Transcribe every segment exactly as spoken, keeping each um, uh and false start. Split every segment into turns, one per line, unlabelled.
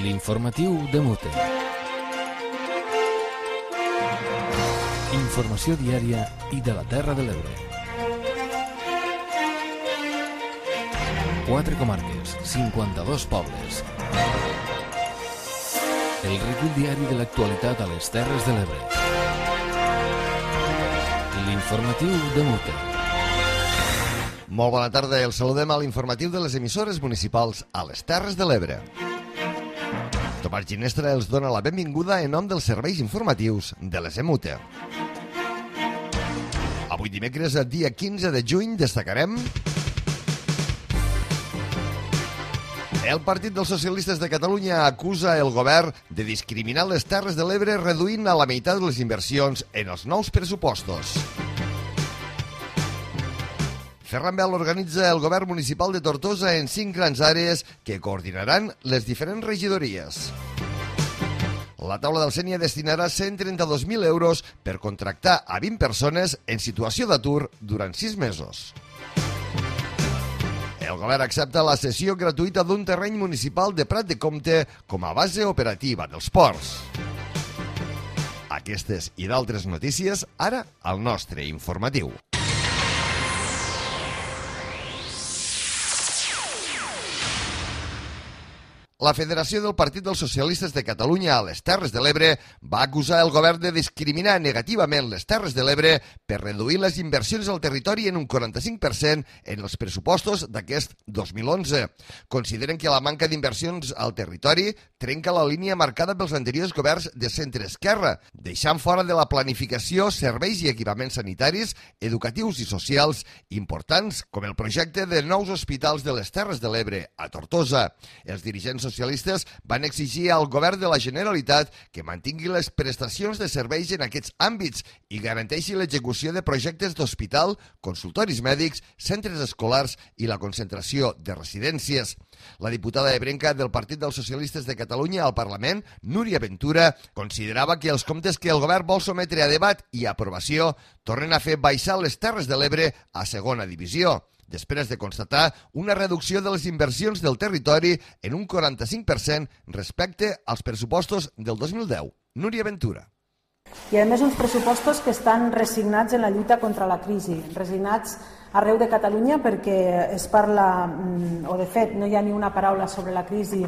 L'informatiu de Mute. Informació diària i de la Terra de l'Ebre. Quatre comarques, cinquanta-dos pobles. El recull diari de l'actualitat a les Terres de l'Ebre. L'informatiu de Mute.
Molt bona tarda, el saludem a l'informatiu de les emissores municipals a les Terres de l'Ebre. Tomàs Ginestra els dona la benvinguda en nom dels serveis informatius de les E M U T E. Avui dimecres, dia quinze de juny, destacarem el Partit dels Socialistes de Catalunya acusa el govern de discriminar les Terres de l'Ebre reduint a la meitat les inversions en els nous pressupostos. Ferran Bel organitza el govern municipal de Tortosa en cinc grans àrees que coordinaran les diferents regidories. La taula del Sénia destinarà cent trenta-dos mil euros per contractar a vint persones en situació d'atur durant sis mesos. El govern accepta la cessió gratuïta d'un terreny municipal de Prat de Comte com a base operativa dels ports. Aquestes i d'altres notícies ara al nostre informatiu. La Federació del Partit dels Socialistes de Catalunya a les Terres de l'Ebre va acusar el govern de discriminar negativament les Terres de l'Ebre per reduir les inversions al territori en un quaranta-cinc per cent en els pressupostos d'aquest dos mil onze. Consideren que la manca d'inversions al territori trenca la línia marcada pels anteriors governs de centre-esquerra, deixant fora de la planificació serveis i equipaments sanitaris, educatius i socials importants, com el projecte de nous hospitals de les Terres de l'Ebre a Tortosa. Els dirigents socialistes van exigir al govern de la Generalitat que mantingui les prestacions de serveis en aquests àmbits i garanteixi l'execució de projectes d'hospital, consultoris mèdics, centres escolars i la concentració de residències. La diputada ebrenca del Partit dels Socialistes de Catalunya al Parlament, Núria Ventura, considerava que els comptes que el govern vol sometre a debat i aprovació tornen a fer baixar les Terres de l'Ebre a segona divisió, després de constatar una reducció de les inversions del territori en un quaranta-cinc per cent respecte als pressupostos del dos mil deu. Núria Ventura.
I a més uns pressupostos que estan resignats en la lluita contra la crisi, resignats arreu de Catalunya perquè es parla, o de fet no hi ha ni una paraula sobre la crisi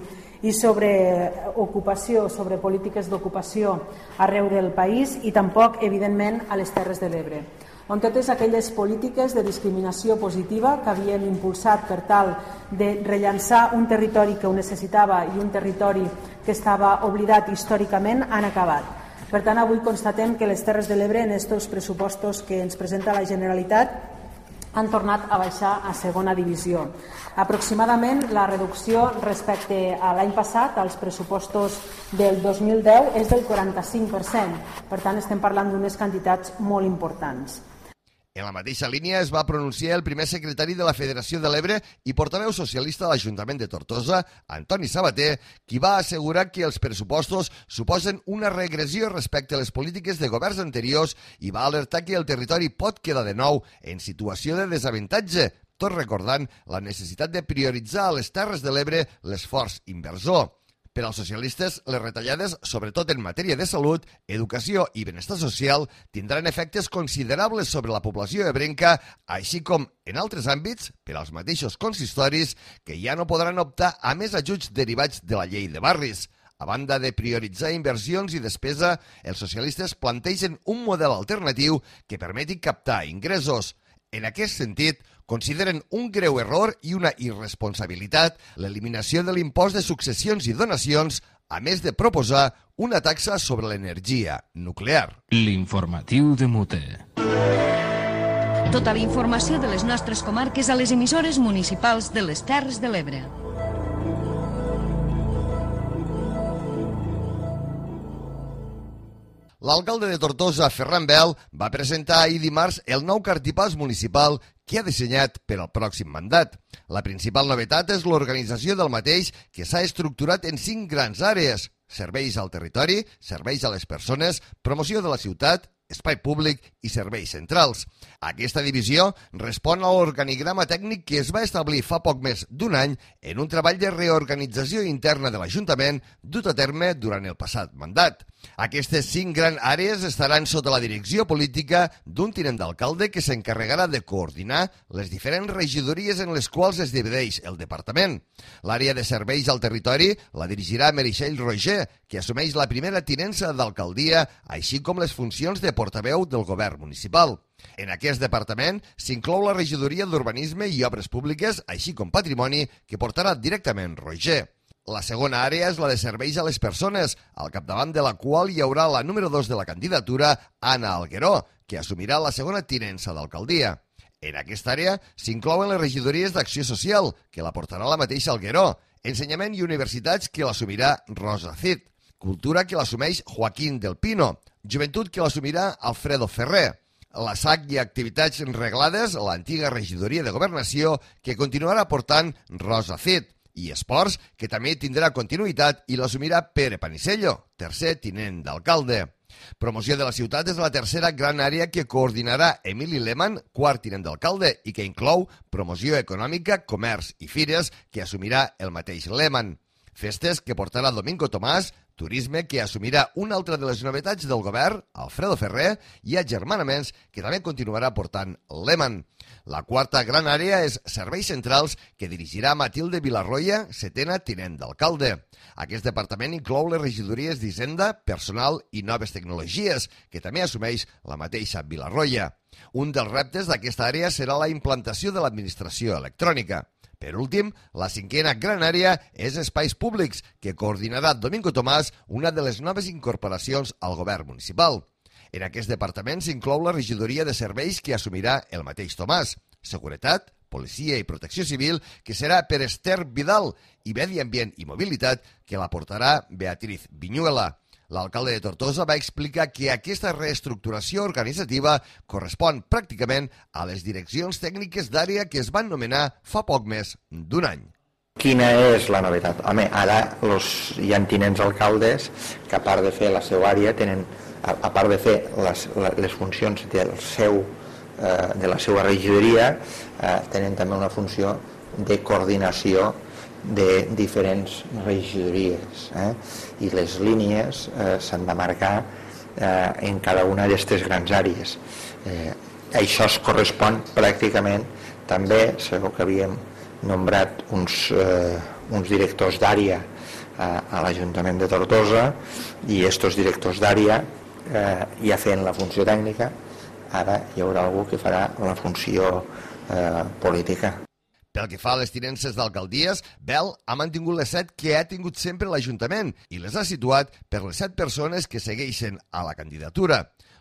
i sobre ocupació, sobre polítiques d'ocupació arreu del país i tampoc, evidentment, a les Terres de l'Ebre, on totes aquelles polítiques de discriminació positiva que havíem impulsat per tal de rellançar un territori que ho necessitava i un territori que estava oblidat històricament han acabat. Per tant, avui constatem que les Terres de l'Ebre en aquests pressupostos que ens presenta la Generalitat han tornat a baixar a segona divisió. Aproximadament la reducció respecte a l'any passat, als pressupostos del dos mil deu, és del quaranta-cinc per cent. Per tant, estem parlant d'unes quantitats molt importants.
En la mateixa línia es va pronunciar el primer secretari de la Federació de l'Ebre i portaveu socialista de l'Ajuntament de Tortosa, Antoni Sabater, qui va assegurar que els pressupostos suposen una regressió respecte a les polítiques de governs anteriors i va alertar que el territori pot quedar de nou en situació de desavantatge, tot recordant la necessitat de prioritzar a les Terres de l'Ebre l'esforç inversor. Per als socialistes, les retallades, sobretot en matèria de salut, educació i benestar social, tindran efectes considerables sobre la població ebrenca, així com, en altres àmbits, per als mateixos consistoris, que ja no podran optar a més ajuts derivats de la llei de barris. A banda de prioritzar inversions i despesa, els socialistes plantegen un model alternatiu que permeti captar ingressos. En aquest sentit, consideren un greu error i una irresponsabilitat l'eliminació de l'impost de successions i donacions, a més de proposar una taxa sobre l'energia nuclear.
L'informatiu de Mute.
Tota la informació de les nostres comarques a les emissores municipals de les Terres de l'Ebre.
L'alcalde de Tortosa, Ferran Bel, va presentar ahir dimarts el nou cartipàs municipal que ha dissenyat per al pròxim mandat. La principal novetat és l'organització del mateix, que s'ha estructurat en cinc grans àrees: serveis al territori, serveis a les persones, promoció de la ciutat, espai públic i serveis centrals. Aquesta divisió respon a l'organigrama tècnic que es va establir fa poc més d'un any en un treball de reorganització interna de l'Ajuntament dut a terme durant el passat mandat. Aquestes cinc grans àrees estaran sota la direcció política d'un tinent d'alcalde que s'encarregarà de coordinar les diferents regidories en les quals es divideix el departament. L'àrea de serveis al territori la dirigirà Meritxell Roger, que assumeix la primera tinença d'alcaldia, així com les funcions de portaveu del govern municipal. En aquest departament s'inclou la regidoria d'Urbanisme i Obres Públiques, així com Patrimoni, que portarà directament Roger. La segona àrea és la de serveis a les persones, al capdavant de la qual hi haurà la número dos de la candidatura, Anna Algueró, que assumirà la segona tinença d'alcaldia. En aquesta àrea s'inclouen les regidories d'Acció Social, que la portarà la mateixa Algueró, Ensenyament i Universitats, que l'assumirà Rosa Cid, Cultura, que l'assumeix Joaquín del Pino, Joventut, que l'assumirà Alfredo Ferrer, la S A C i Activitats Reglades, l'antiga regidoria de Governació, que continuarà portant Rosa Cid, i Esports, que també tindrà continuïtat i l'assumirà Pere Panisello, tercer tinent d'alcalde. Promoció de la ciutat és la tercera gran àrea que coordinarà Emili Lehmann, quart tinent d'alcalde, i que inclou promoció econòmica, comerç i fires, que assumirà el mateix Lehmann. Festes, que portarà Domingo Tomàs, Turisme, que assumirà una altra de les novetats del govern, Alfredo Ferrer, i Agermanaments, que també continuarà portant Lehmann. La quarta gran àrea és Serveis Centrals, que dirigirà Matilde Vilarroya, setena tinent d'alcalde. Aquest departament inclou les regidories d'Hisenda, Personal i Noves Tecnologies, que també assumeix la mateixa Vilarroya. Un dels reptes d'aquesta àrea serà la implantació de l'administració electrònica. Per últim, la cinquena gran àrea és Espais Públics, que coordinarà Domingo Tomàs, una de les noves incorporacions al govern municipal. En aquest departament s'inclou la regidoria de serveis que assumirà el mateix Tomàs, Seguretat, Policia i Protecció Civil, que serà per Esther Vidal, i Medi Ambient i Mobilitat, que la portarà Beatriz Viñuela. L'alcalde de Tortosa va explicar que aquesta reestructuració organitzativa correspon pràcticament a les direccions tècniques d'àrea que es van nomenar fa poc més d'un any.
Quina és la novetat? Home, ara los, hi ha tinents alcaldes que a part de fer la seva àrea, tenen, a, a part de fer les, les funcions del seu, eh, de la seva regidoria, eh, tenen també una funció de coordinació de diferents regidories, eh? I les línies eh, s'han de marcar eh, en cada una d'aquestes grans àrees. Eh, això es correspon pràcticament també, segur que havíem nombrat uns, eh, uns directors d'àrea a, a l'Ajuntament de Tortosa, i aquests directors d'àrea eh, ja feien la funció tècnica, ara hi haurà algú que farà la funció eh, política.
Pel que fa a les tinences d'alcaldies, Bel ha mantingut les set que ha tingut sempre l'Ajuntament i les ha situat per les set persones que segueixen a la candidatura.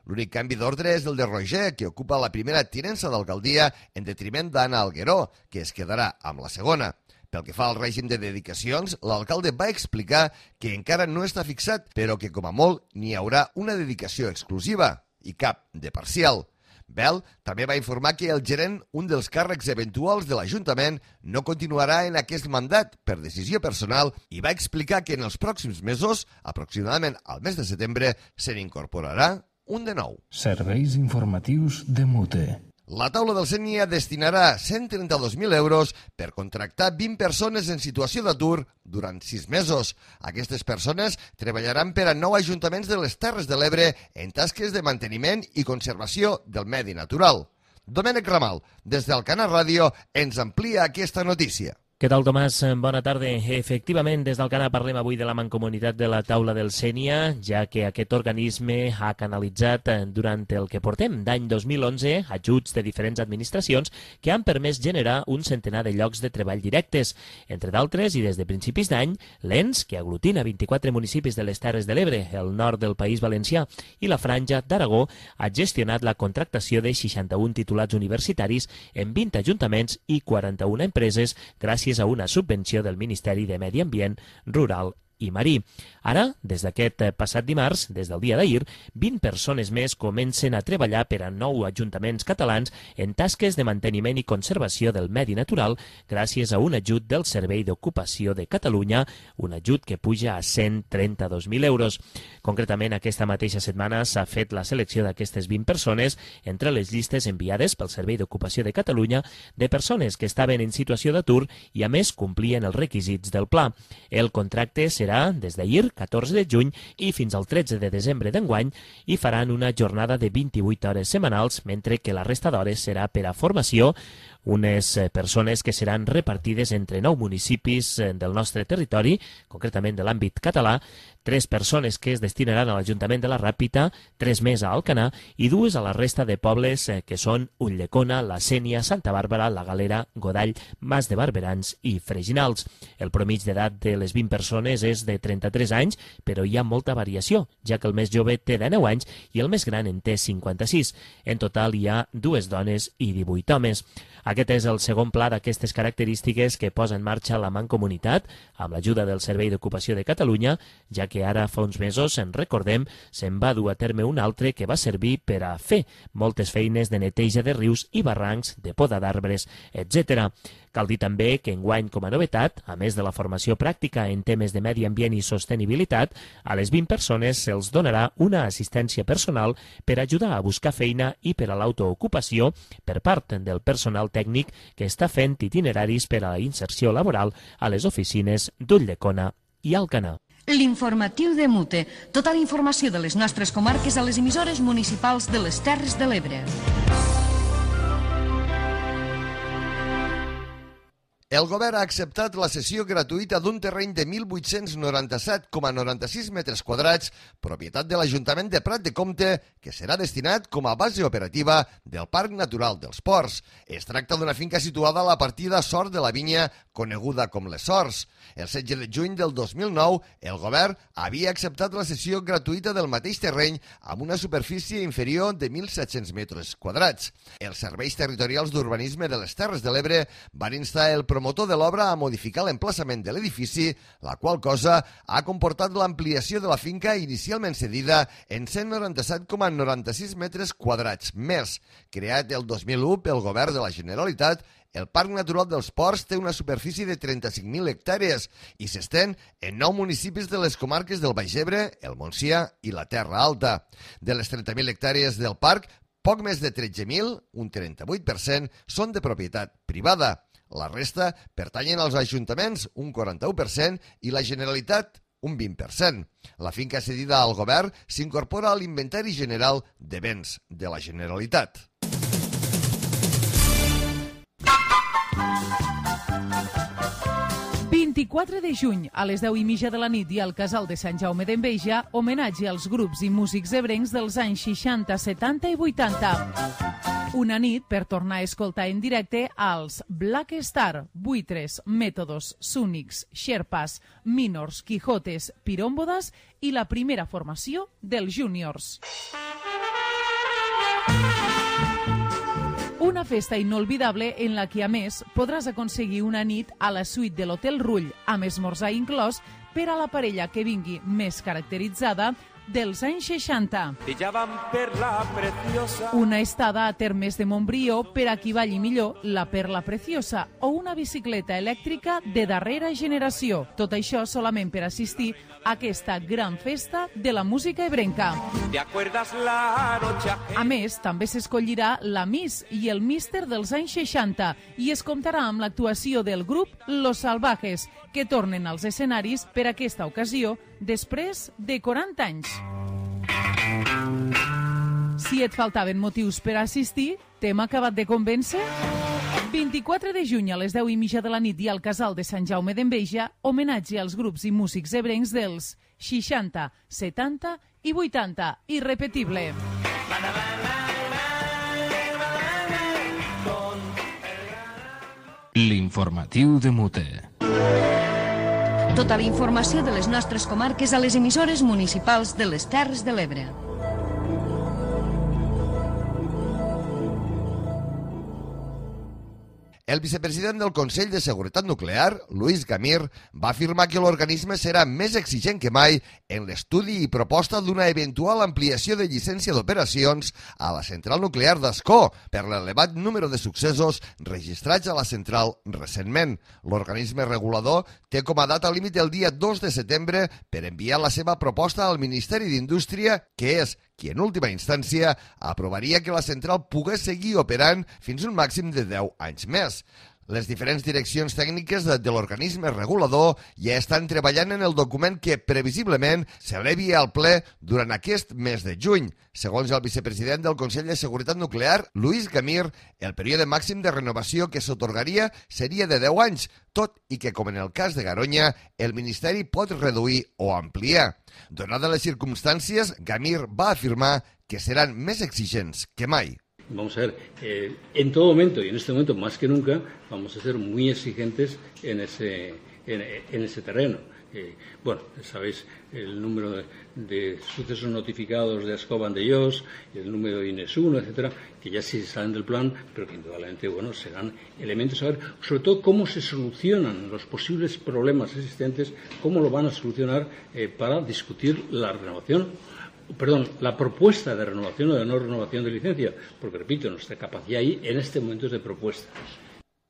L'únic canvi d'ordre és el de Roger, que ocupa la primera tinença d'alcaldia en detriment d'Anna Algueró, que es quedarà amb la segona. Pel que fa al règim de dedicacions, l'alcalde va explicar que encara no està fixat, però que com a molt n'hi haurà una dedicació exclusiva i cap de parcial. Bel també va informar que el gerent, un dels càrrecs eventuals de l'Ajuntament, no continuarà en aquest mandat per decisió personal i va explicar que en els pròxims mesos, aproximadament al mes de setembre, se n'incorporarà un de nou.
Serveis informatius de Mute.
La taula del Sénia destinarà cent trenta-dos mil euros per contractar vint persones en situació d'atur durant sis mesos. Aquestes persones treballaran per a nou ajuntaments de les Terres de l'Ebre en tasques de manteniment i conservació del medi natural. Domènec Ramal, des del Canal Ràdio, ens amplia aquesta notícia.
Què tal, Tomàs? Bona tarda. Efectivament, des del Canal parlem avui de la mancomunitat de la taula del Sénia, ja que aquest organisme ha canalitzat durant el que portem d'any dos mil onze ajuts de diferents administracions que han permès generar un centenar de llocs de treball directes. Entre d'altres, i des de principis d'any, l'E N S, que aglutina vint-i-quatre municipis de les Terres de l'Ebre, el nord del País Valencià i la Franja d'Aragó, ha gestionat la contractació de seixanta-un titulats universitaris en vint ajuntaments i quaranta-una empreses gràcies a una subvenció del Ministeri de Medi Ambient, Rural i marí. Ara, des d'aquest passat dimarts, des del dia d'ahir, vint persones més comencen a treballar per a nou ajuntaments catalans en tasques de manteniment i conservació del medi natural gràcies a un ajut del Servei d'Ocupació de Catalunya, un ajut que puja a cent trenta-dos mil euros. Concretament, aquesta mateixa setmana s'ha fet la selecció d'aquestes vint persones entre les llistes enviades pel Servei d'Ocupació de Catalunya de persones que estaven en situació d'atur i, a més, complien els requisits del pla. El contracte serà des d'ahir, catorze de juny, i fins al tretze de desembre d'enguany, i faran una jornada de vint-i-vuit hores setmanals, mentre que la resta d'hores serà per a formació, unes persones que seran repartides entre nou municipis del nostre territori, concretament de l'àmbit català, tres persones que es destinaran a l'Ajuntament de la Ràpita, tres més a Alcanar i dues a la resta de pobles que són Ulldecona, La Sénia, Santa Bàrbara, La Galera, Godall, Mas de Barberans i Freginals. El promig d'edat de les vint persones és de trenta-tres anys, però hi ha molta variació, ja que el més jove té dinou anys i el més gran en té cinquanta-sis. En total hi ha dues dones i divuit homes. Aquest és el segon pla d'aquestes característiques que posa en marxa la Mancomunitat amb l'ajuda del Servei d'Ocupació de Catalunya, ja que ara fa uns mesos, en recordem, se'n va dur a terme un altre que va servir per a fer moltes feines de neteja de rius i barrancs, de poda d'arbres, etcètera. Cal dir també que enguany, com a novetat, a més de la formació pràctica en temes de medi ambient i sostenibilitat, a les vint persones se'ls donarà una assistència personal per ajudar a buscar feina i per a l'autoocupació per part del personal tècnic que està fent itineraris per a la inserció laboral a les oficines d'Ulldecona i Alcanar.
L'informatiu de Mute. Tota la informació de les nostres comarques a les emissores municipals de les Terres de l'Ebre.
El govern ha acceptat la cessió gratuïta d'un terreny de mil vuit-cents noranta-set coma noranta-sis metres quadrats, propietat de l'Ajuntament de Prat de Comte, que serà destinat com a base operativa del Parc Natural dels Ports. Es tracta d'una finca situada a la partida Sort de la Vinya, coneguda com les Sorts. El setze de juny del dos mil nou, el govern havia acceptat la cessió gratuïta del mateix terreny amb una superfície inferior de mil set-cents metres quadrats. Els serveis territorials d'urbanisme de les Terres de l'Ebre van instar el promotor de l'obra a modificar l'emplaçament de l'edifici, la qual cosa ha comportat l'ampliació de la finca inicialment cedida en cent noranta-set coma noranta-sis metres quadrats més. Creat el dos mil u pel govern de la Generalitat, el Parc Natural dels Ports té una superfície de trenta-cinc mil hectàrees i s'estén en nou municipis de les comarques del Baix Ebre, el Montsià i la Terra Alta. De les trenta mil hectàrees del parc, poc més de tretze mil, un trenta-vuit per cent, són de propietat privada. La resta pertanyen als ajuntaments, un quaranta-u per cent, i la Generalitat, un vint per cent. La finca cedida al govern s'incorpora a l'Inventari General de Béns de la Generalitat.
vint-i-quatre de juny, a les deu i mitja de la nit i al Casal de Sant Jaume d'Enveja, homenatge als grups i músics ebrencs dels anys seixanta, setanta i vuitanta. Una nit per tornar a escoltar en directe als Black Star, Buitres, Métodos, Súnics, Sherpas, Minors, Quijotes, Pirómbodas i la primera formació dels Júniors. Una festa inolvidable en la que, a més, podràs aconseguir una nit a la suite de l'Hotel Rull, amb esmorzar inclòs, per a la parella que vingui més caracteritzada dels anys seixanta. Una estada a Termes de Montbrió per a qui balli millor la Perla Preciosa o una bicicleta elèctrica de darrera generació. Tot això solament per assistir a aquesta gran festa de la música ebrenca. A més, també s'escollirà la Miss i el Míster dels anys seixanta i es comptarà amb l'actuació del grup Los Salvajes, que tornen als escenaris per aquesta ocasió després de quaranta anys. Si et faltaven motius per assistir, t'hem acabat de convèncer? vint-i-quatre de juny a les deu i mitja de la nit i al Casal de Sant Jaume d'Enveja, homenatge als grups i músics ebrencs dels seixanta, setanta i vuitanta. Irrepetible.
L'informatiu de Mute.
Tota la informació de les nostres comarques a les emissores municipals de les Terres de l'Ebre.
El vicepresident del Consell de Seguretat Nuclear, Luis Gamir, va afirmar que l'organisme serà més exigent que mai en l'estudi i proposta d'una eventual ampliació de llicència d'operacions a la central nuclear d'Ascó per l'elevat número de successos registrats a la central recentment. L'organisme regulador té com a data límit el dia dos de setembre per enviar la seva proposta al Ministeri d'Indústria, que és qui en última instància aprovaria que la central pogués seguir operant fins un màxim de deu anys més. Les diferents direccions tècniques de, de l'organisme regulador ja estan treballant en el document que previsiblement s'elevi al ple durant aquest mes de juny. Segons el vicepresident del Consell de Seguretat Nuclear, Luis Gamir, el període màxim de renovació que s'atorgaria seria de deu anys, tot i que, com en el cas de Garoña, el Ministeri pot reduir o ampliar. Donades les circumstàncies, Gamir va afirmar que seran més exigents que mai.
Vamos a ver, eh, en todo momento y en este momento más que nunca vamos a ser muy exigentes en ese, en, en ese terreno. Eh, bueno, sabéis el número de, de sucesos notificados de Ascó Vandellós, el número de INES uno, etcétera, que ya sí salen del plan, pero que indudablemente bueno, serán elementos a ver, sobre todo cómo se solucionan los posibles problemas existentes, cómo lo van a solucionar eh, para discutir la renovación. Perdón, la propuesta de renovación o de no renovación de licencia, porque repito, nuestra capacidad ahí en este momento es de propuesta.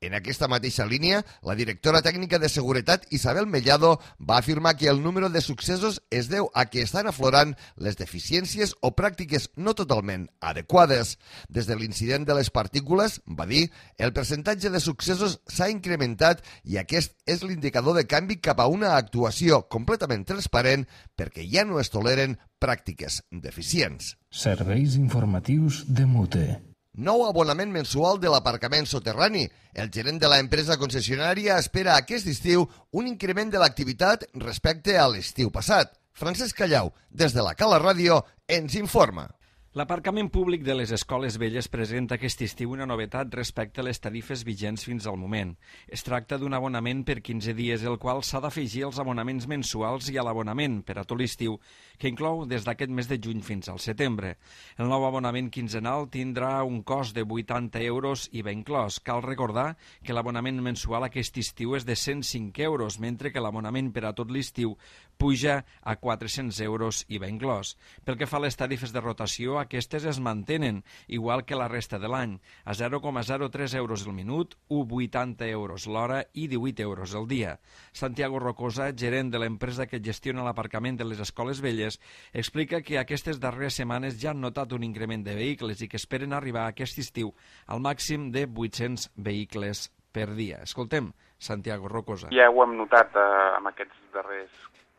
En aquesta mateixa línia, la directora tècnica de Seguretat, Isabel Mellado, va afirmar que el número de successos es deu a que estan aflorant les deficiències o pràctiques no totalment adequades. Des de l'incident de les partícules, va dir, el percentatge de successos s'ha incrementat i aquest és l'indicador de canvi cap a una actuació completament transparent perquè ja no es toleren pràctiques deficients.
Serveis informatius de Mute.
Nou abonament mensual de l'aparcament soterrani. El gerent de l'empresa concessionària espera aquest estiu un increment de l'activitat respecte a l'estiu passat. Francesc Callau, des de la Cala Ràdio, ens informa.
L'aparcament públic de les escoles velles presenta aquest estiu una novetat respecte a les tarifes vigents fins al moment. Es tracta d'un abonament per quinze dies, el qual s'ha d'afegir als abonaments mensuals i a l'abonament per a tot l'estiu, que inclou des d'aquest mes de juny fins al setembre. El nou abonament quinzenal tindrà un cost de vuitanta euros i va inclòs. Cal recordar que l'abonament mensual aquest estiu és de cent cinc euros, mentre que l'abonament per a tot l'estiu puja a quatre-cents euros i va inclòs. Pel que fa a les tarifes de rotació, aquestes es mantenen, igual que la resta de l'any, a zero coma zero tres euros el minut, u coma vuitanta euros l'hora i divuit euros el dia. Santiago Rocosa, gerent de l'empresa que gestiona l'aparcament de les escoles velles, explica que aquestes darreres setmanes ja han notat un increment de vehicles i que esperen arribar aquest estiu al màxim de vuit-cents vehicles per dia. Escoltem Santiago Rocosa.
Ja ho hem notat eh, en aquests darrers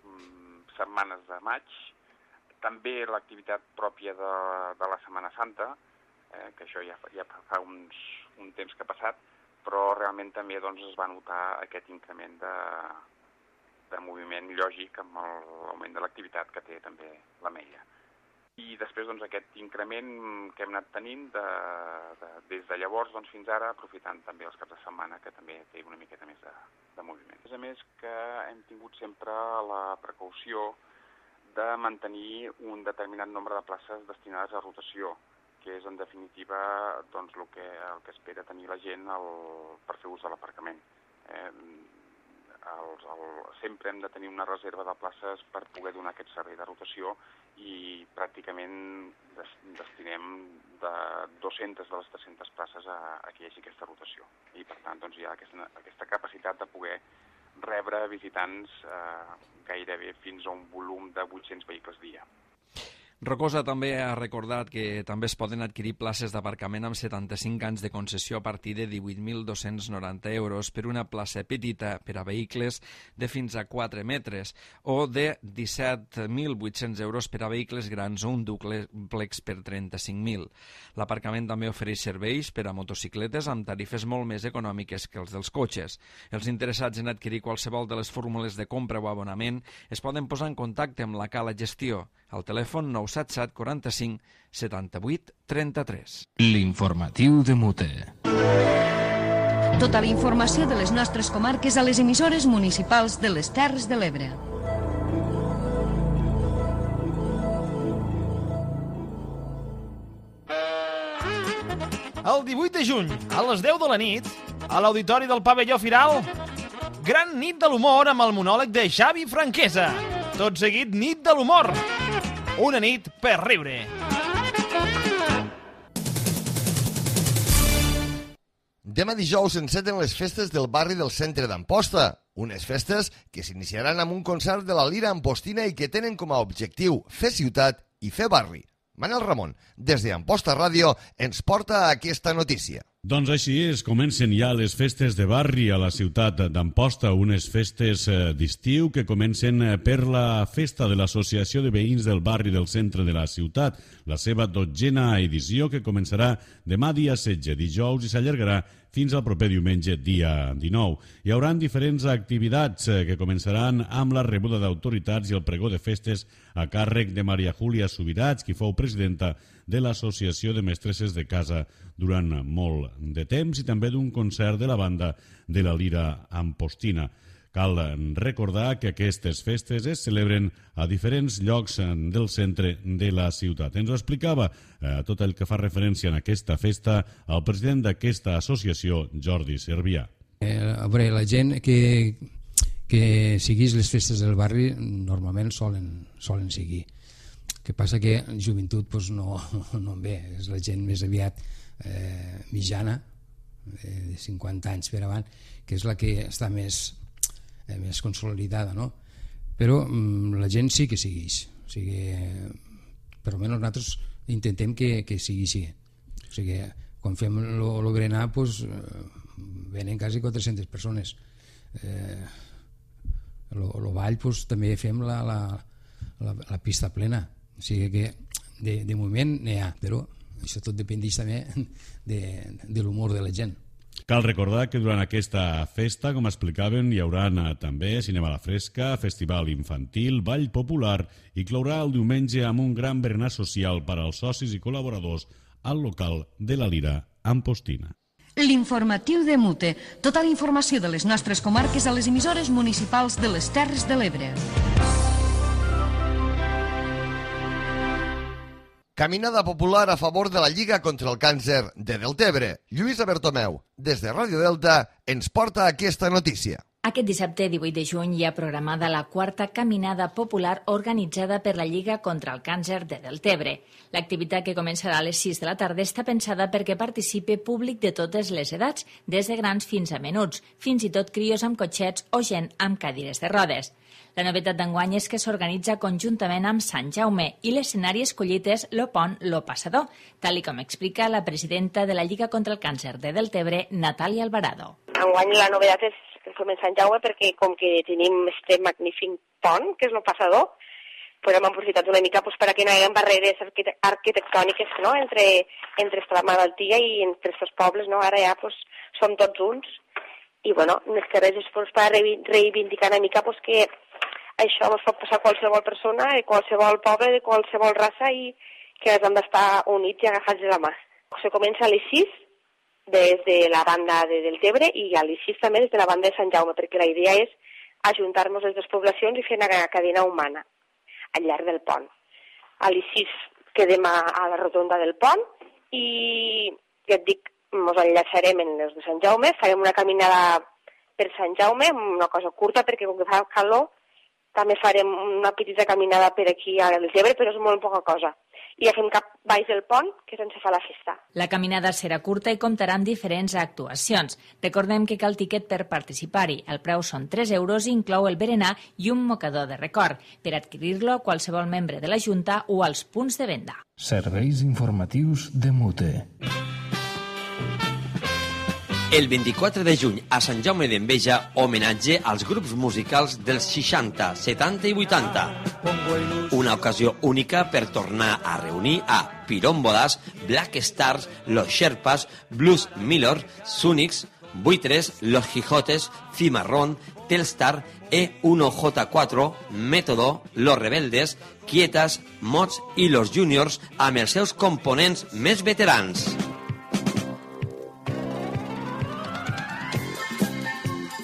mm, setmanes de maig. També l'activitat pròpia de, de la Setmana Santa, eh, que això ja, ja fa uns, un temps que ha passat, però realment també doncs, es va notar aquest increment de, de moviment lògic amb l'augment de l'activitat que té també l'Ametlla. I després doncs, aquest increment que hem anat tenint de, de, des de llavors doncs, fins ara, aprofitant també els caps de setmana, que també té una miqueta més de, de moviment. A més que hem tingut sempre la precaució de mantenir un determinat nombre de places destinades a rotació, que és en definitiva doncs, el, que, el que espera tenir la gent el, per fer ús de l'aparcament. Eh, el, el, sempre hem de tenir una reserva de places per poder donar aquest servei de rotació i pràcticament des, destinem de dues-centes de les tres-centes places a, a que hi hagi aquesta rotació. I per tant doncs, hi ha aquesta, aquesta capacitat de poder rebre visitants eh, gairebé fins a un volum de vuit-cents vehicles dia.
Rocosa també ha recordat que també es poden adquirir places d'aparcament amb setanta-cinc anys de concessió a partir de divuit mil dos-cents noranta euros per una plaça petita per a vehicles de fins a quatre metres o de disset mil vuit-cents euros per a vehicles grans o un dúplex per trenta-cinc mil. L'aparcament també ofereix serveis per a motocicletes amb tarifes molt més econòmiques que els dels cotxes. Els interessats en adquirir qualsevol de les fórmules de compra o abonament es poden posar en contacte amb la Cala Gestió al telèfon nou set set quaranta-cinc setanta-vuit trenta-tres.
L'informatiu de Mute.
Tota la informació de les nostres comarques a les emissores municipals de les Terres de l'Ebre.
El divuit de juny, a les deu de la nit, A l'auditori del pavelló Firal, gran nit de l'humor amb el monòleg de Xavi Franquesa. Tot seguit, nit de l'humor. Una nit per riure.
Demà dijous s'enceten les festes del barri del centre d'Amposta, unes festes que s'iniciaran amb un concert de la Lira Ampostina i que tenen com a objectiu fer ciutat i fer barri. Manel Ramon, des d'Amposta Ràdio, ens porta aquesta notícia.
Doncs així és, comencen ja les festes de barri a la ciutat d'Amposta, unes festes d'estiu que comencen per la festa de l'Associació de Veïns del Barri del Centre de la Ciutat, la seva dotzena edició que començarà demà dia setze, dijous, i s'allargarà fins al proper diumenge, dia dinou. Hi haurà diferents activitats que començaran amb la rebuda d'autoritats i el pregó de festes a càrrec de Maria Júlia Subirats, qui fou presidenta de l'Associació de Mestresses de Casa durant molt de temps, i també d'un concert de la banda de la Lira Ampostina. Cal recordar que aquestes festes es celebren a diferents llocs del centre de la ciutat. Ens ho explicava eh, tot el que fa referència en aquesta festa el president d'aquesta associació, Jordi Servià.
Eh, a veure, la gent que, que seguís les festes del barri normalment solen, solen seguir. El que passa que joventut pues, no, no en ve, és la gent més aviat eh, mitjana, eh, de cinquanta anys per avant, que és la que està més... Eh, més consolidada, no? Però mm, la gent sí que segueix, o sigui, eh, per almenys nosaltres intentem que, que sigui així. O sigui, quan fem el berenar, pues, eh, venen quasi quatre-centes persones. Eh, el ball, pues, també fem la, la, la, la pista plena. O sigui que de, de moment n'hi ha, però això tot dependeix també de, de l'humor de la gent.
Cal recordar que durant aquesta festa, com explicaven, hi haurà també cinema a la fresca, festival infantil, ball popular i clourà el diumenge amb un gran berenar social per als socis i col·laboradors al local de la Lira Ampostina.
L'informatiu de Mute. Tota la informació de les nostres comarques a les emissores municipals de les Terres de l'Ebre.
Caminada popular a favor de la Lliga contra el Càncer de Deltebre. Lluïsa Bertomeu, des de Ràdio Delta, ens porta aquesta notícia.
Aquest dissabte divuit de juny hi ha programada la quarta caminada popular organitzada per la Lliga contra el Càncer de Deltebre. L'activitat, que començarà a les sis de la tarda, està pensada perquè participi públic de totes les edats, des de grans fins a menuts, fins i tot crios amb cotxets o gent amb cadires de rodes. La novetat d'enguany és que s'organitza conjuntament amb Sant Jaume i l'escenari escollit és Lo Pont, Lo Passador, tal i com explica la presidenta de la Lliga contra el Càncer de Deltebre, Natàlia Alvarado.
Enguany la novetat és que som en Sant Jaume perquè com que tenim este magnífic pont, que és Lo Passador, pues hem aprofitat una mica pues, perquè no hi ha barreres arquitectòniques, no? entre, entre la malaltia i entre els pobles. No? Ara ja pues, som tots uns i bueno, més que res és pues, per reivindicar una mica pues, que això es pot passar a qualsevol persona, de qualsevol poble, de qualsevol raça, i que hem d'estar units i agafats de la mà. Se comença a les sis des de la banda de Deltebre i a les sis també des de la banda de Sant Jaume, perquè la idea és ajuntar-nos les dues poblacions i fer una cadena humana al llarg del pont. A les sis quedem a, a la rotonda del pont i, ja et dic, ens enllaçarem en els de Sant Jaume, farem una caminada per Sant Jaume, una cosa curta perquè com que fa calor, també farem una petita caminada per aquí a Deltebre, però és molt poca cosa. I ja fem cap baix del pont, que és on se fa la festa.
La caminada serà curta i comptarà amb diferents actuacions. Recordem que cal tiquet per participar-hi. El preu són tres euros i inclou el berenar i un mocador de record. Per adquirir-lo, qualsevol membre de la Junta o als punts de venda.
Serveis informatius de Mute.
El vint-i-quatre de juny a Sant Jaume d'Enveja, homenatge als grups musicals dels seixanta, setanta i vuitanta. Una ocasió única per tornar a reunir a Pirómbodas, Black Stars, Los Sherpas, Blues Miller, Sunics, Buitres, Los Quijotes, Cimarrón, Telstar, E uno J cuatro, Método, Los Rebeldes, Quietas, Mods i Los Juniors amb els seus components més veterans.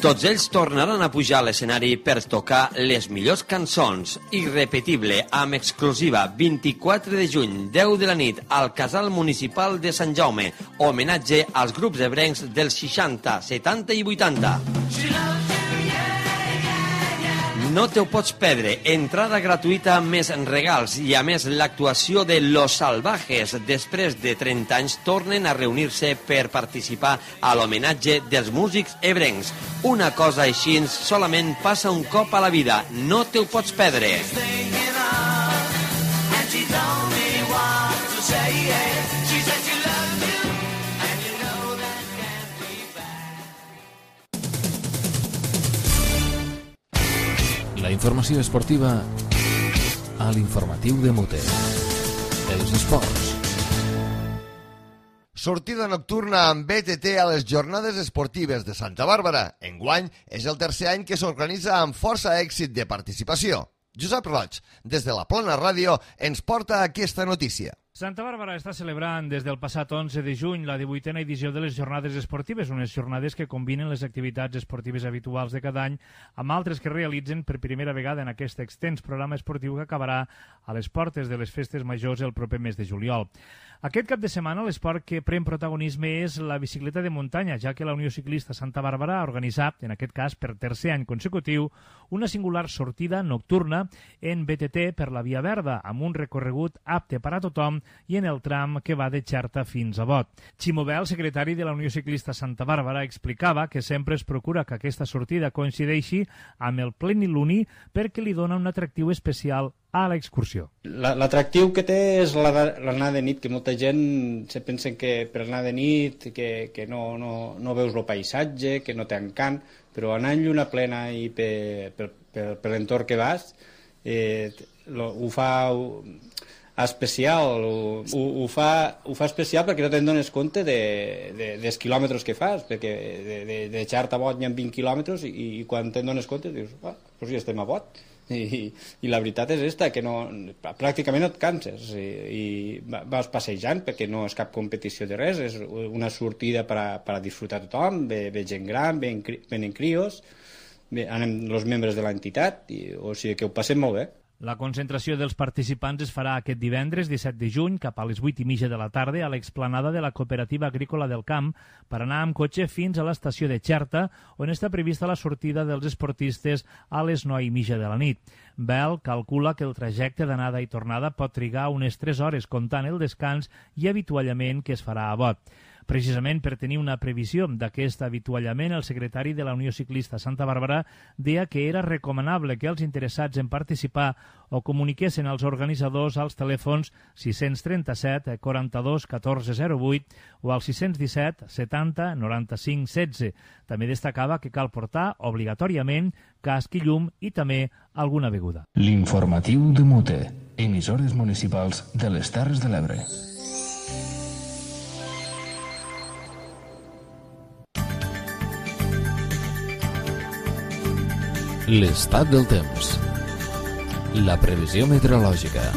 Tots ells tornaran a pujar a l'escenari per tocar les millors cançons. Irrepetible, amb exclusiva, vint-i-quatre de juny, deu de la nit, al Casal Municipal de Sant Jaume. Homenatge als grups ebrencs dels seixanta, setanta i vuitanta. No te ho pots perdre. Entrada gratuïta més regals i, a més, l'actuació de Los Salvajes. Després de trenta anys tornen a reunir-se per participar a l'homenatge dels músics ebrencs. Una cosa així solament passa un cop a la vida. No te ho pots perdre.
La informació esportiva a l'informatiu de Mute. Els esports.
Sortida nocturna amb B T T a les jornades esportives de Santa Bàrbara. Enguany és el tercer any que s'organitza amb força èxit de participació. Josep Roig, des de la Plana Ràdio, ens porta aquesta notícia.
Santa Bàrbara està celebrant des del passat onze de juny la divuitena edició de les jornades esportives, unes jornades que combinen les activitats esportives habituals de cada any amb altres que realitzen per primera vegada en aquest extens programa esportiu que acabarà a les portes de les festes majors el proper mes de juliol. Aquest cap de setmana l'esport que pren protagonisme és la bicicleta de muntanya, ja que la Unió Ciclista Santa Bàrbara ha organitzat, en aquest cas per tercer any consecutiu, una singular sortida nocturna en B T T per la Via Verda, amb un recorregut apte per a tothom i en el tram que va de Xerta fins a Bot. Ximo Bel, secretari de la Unió Ciclista Santa Bàrbara, explicava que sempre es procura que aquesta sortida coincideixi amb el pleniluni perquè li dona un atractiu especial a l'excursió.
L'atractiu que té és l'anar de nit, que molta gent se pensa que per anar de nit que, que no, no, no veus el paisatge, que no té encant, però anar en lluna plena i per, per, per, per l'entorn que vas eh, lo, ho fa especial, ho, ho, fa, ho fa especial perquè no te'n dones compte de, de, dels quilòmetres que fas, perquè de, de, de Xerta a Bot hi ha vint quilòmetres i, i quan te'n dones compte dius, ah, doncs ja estem a Bot. I, i la veritat és esta, que no, pràcticament no et canses i, i vas passejant perquè no és cap competició de res, és una sortida per a, per a disfrutar tothom, ve, ve gent gran, ven, venen crios, ve, anem els membres de l'entitat, o sigui que ho passem molt bé.
La concentració dels participants es farà aquest divendres disset de juny cap a les vuit i mitja de la tarda a l'explanada de la Cooperativa Agrícola del Camp per anar amb cotxe fins a l'estació de Xerta, on està prevista la sortida dels esportistes a les nou i mitja de la nit. Bel calcula que el trajecte d'anada i tornada pot trigar unes tres hores comptant el descans i avituallament que es farà a Bot. Precisament per tenir una previsió d'aquest avituallament, el secretari de la Unió Ciclista Santa Bàrbara deia que era recomanable que els interessats en participar o comuniquessin als organitzadors als telèfons sis trenta set quaranta-dos catorze zero vuit o al sis disset setanta noranta-cinc setze. També destacava que cal portar obligatòriament casc i llum i també alguna beguda.
L'informatiu de Mute, emissores municipals de les Terres de l'Ebre.
L'estat del temps. La previsió meteorològica.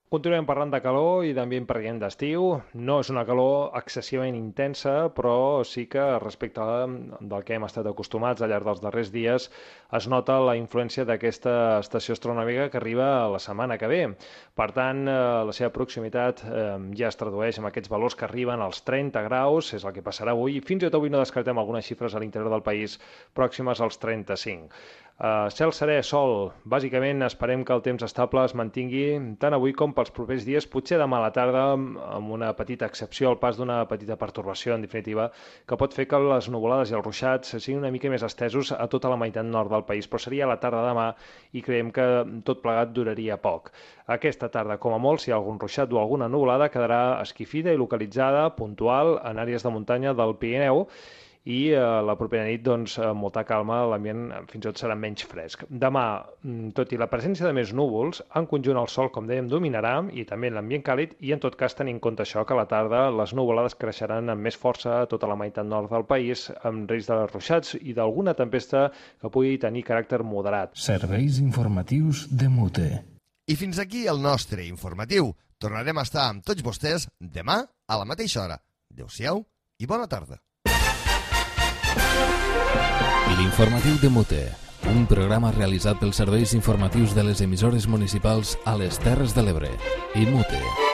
Continuem parlant de calor i d'ambient preient d'estiu. No és una calor excessivament intensa, però sí que respecte del que hem estat acostumats al llarg dels darrers dies es nota la influència d'aquesta estació astronòmica que arriba la setmana que ve. Per tant, la seva proximitat ja es tradueix en aquests valors que arriben als trenta graus, és el que passarà avui, i fins i tot avui no descartem algunes xifres a l'interior del país pròximes als trenta-cinc. Uh, cel serè, sol. Bàsicament esperem que el temps estable es mantingui tant avui com pels propers dies, potser demà a la tarda amb una petita excepció, el pas d'una petita pertorbació, en definitiva, que pot fer que les nuvolades i els ruixats siguin una mica més estesos a tota la meitat nord del país, però seria a la tarda demà i creiem que tot plegat duraria poc. Aquesta tarda, com a molt, si hi ha algun ruixat o alguna nuvolada, quedarà esquifida i localitzada, puntual, en àrees de muntanya del Pirineu, i eh, la propera nit, doncs, amb molta calma, l'ambient fins i tot serà menys fresc. Demà, tot i la presència de més núvols, en conjunt el sol, com dèiem, dominarà, i també l'ambient càlid, i en tot cas tenint en compte això, que a la tarda les nuvolades creixeran amb més força a tota la meitat nord del país, amb risc de ruixats i d'alguna tempesta que pugui tenir caràcter moderat.
Serveis informatius de Mute.
I fins aquí el nostre informatiu. Tornarem a estar amb tots vostès demà a la mateixa hora. Adéu-siau i bona tarda.
L'informatiu de Mute, un programa realitzat pels serveis informatius de les emissores municipals a les Terres de l'Ebre i Mute.